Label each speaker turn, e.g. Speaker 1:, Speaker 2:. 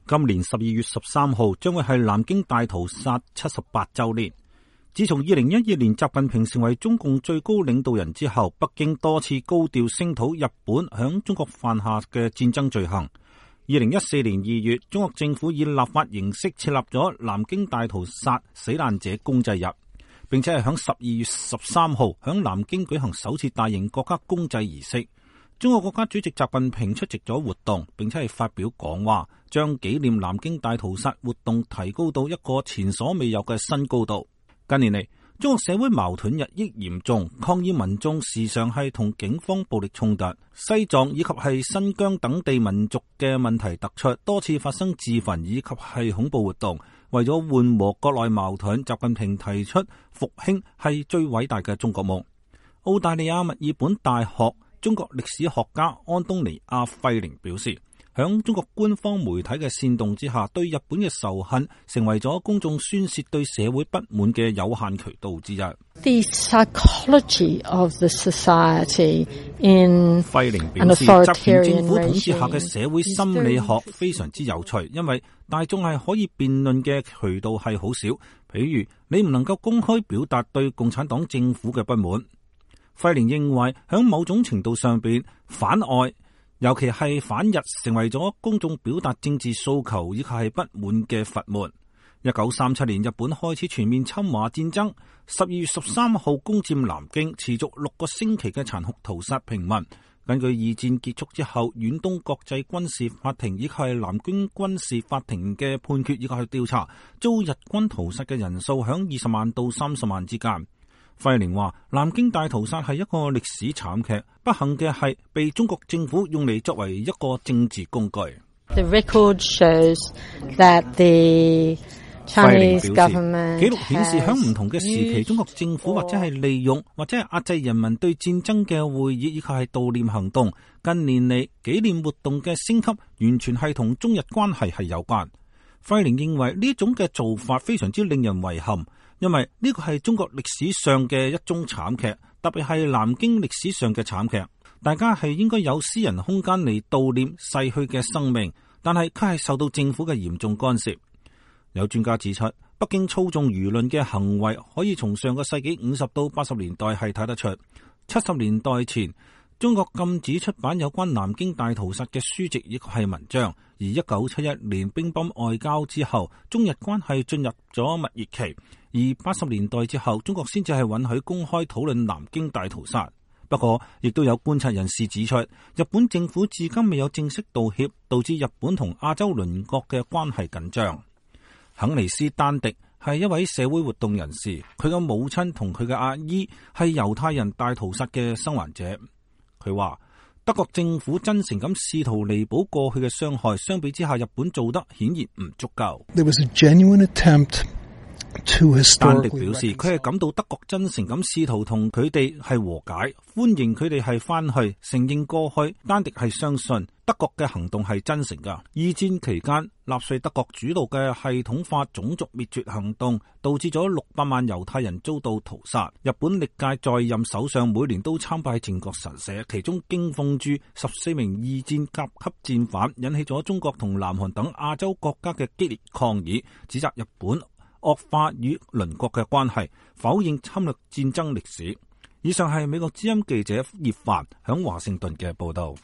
Speaker 1: 今年12月13號將會係南京大屠殺78週年。自從2012年習近平成為中共最高領導人之後，北京多次高調聲討日本響中國犯下嘅戰爭罪行。2014年2月，中國政府以立法形式設立咗南京大屠殺死難者公祭日，並且係響12月13號響南京舉行首次大型國家公祭儀式。中國國家主席習近平出席咗活動，並且係發表講話，將紀念南京大屠殺活動提高到一個前所未有嘅新高度。近年嚟，中國社會矛盾日益嚴重，抗議民眾時常係同警方暴力衝突，西藏以及係新疆等地民族嘅問題突出，多次發生自焚以及係恐怖活動。為咗緩和國內矛盾，習近平提出復興係最偉大嘅中國夢。澳大利亞墨爾本大學中國歷史學家安東尼亞費寧表示，響中國官方媒體嘅煽動之下，對日本嘅仇恨成為咗公眾宣洩對社會不滿嘅有限渠道之一。
Speaker 2: The psychology of the society in
Speaker 1: 費寧表示，習權政府統治下嘅社會心理學非常之有趣，因為大眾係可以辯論嘅渠道係好少，譬如你唔能夠公開表達對共產黨政府嘅不滿。費寧認為，響某種程度上邊，反外，尤其係反日，成為咗公眾表達政治訴求以及係不滿嘅閥門。1937年，日本開始全面侵華戰爭，12月13號攻佔南京，持續6個星期嘅殘酷屠殺平民。根據二戰結束之後，遠東國際軍事法庭以及係南京軍事法庭嘅判決以及係調查，遭日軍屠殺嘅人數響20萬到30萬之間。費寧話，南京大屠殺係一個歷史慘劇，不幸嘅係被中國政府用嚟作為一個政治工具。
Speaker 2: The record shows that the Chinese government
Speaker 1: 記錄顯示，喺唔同嘅時期，中國政府或者係利用或者係壓制人民對戰爭嘅會議以及係悼念行動。近年嚟，紀念活動嘅升級完全係同中日關係係有關。費寧認為呢種嘅做法非常之令人遺憾，因為呢個係中國歷史上嘅一宗慘劇，特別係南京歷史上嘅慘劇。大家係應該有私人空間嚟悼念逝去嘅生命，但係卻係受到政府嘅嚴重干涉。有專家指出，北京操縱輿論嘅行為可以從上個世紀50到80年代係睇得出。70年代前，中國禁止出版有關南京大屠殺嘅書籍亦係文章，而1971年乒乓外交之後，中日關係進入咗蜜月期，而80年代之後，中國先至係允許公開討論南京大屠殺。不過，亦都有觀察人士指出，日本政府至今未有正式道歉，導致日本同亞洲鄰國嘅關係緊張。肯尼斯丹迪係一位社會活動人士，佢嘅母親同佢嘅阿姨係猶太人大屠殺嘅生還者。佢話，德國政府真誠咁試圖彌補過去嘅傷害，相比之下，日本做得顯然唔足夠。
Speaker 3: There was a genuine attempt
Speaker 1: 丹迪表示，佢係感到德國真誠咁試圖同佢哋係和解，歡迎佢哋係翻去承認過去。丹迪係相信德國嘅行動係真誠噶。二戰期間，納粹德國主導嘅系統化種族滅絕行動，導致咗600萬猶太人遭到屠殺。日本歷屆在任首相每年都參拜靖國神社，其中京鳳珠14名二戰甲級戰犯，引起咗中國同南韓等亞洲國家嘅激烈抗議，指責日本惡化與鄰國嘅關係，否認侵略戰爭歷史。以上係美國之音記者葉凡響華盛頓嘅報道。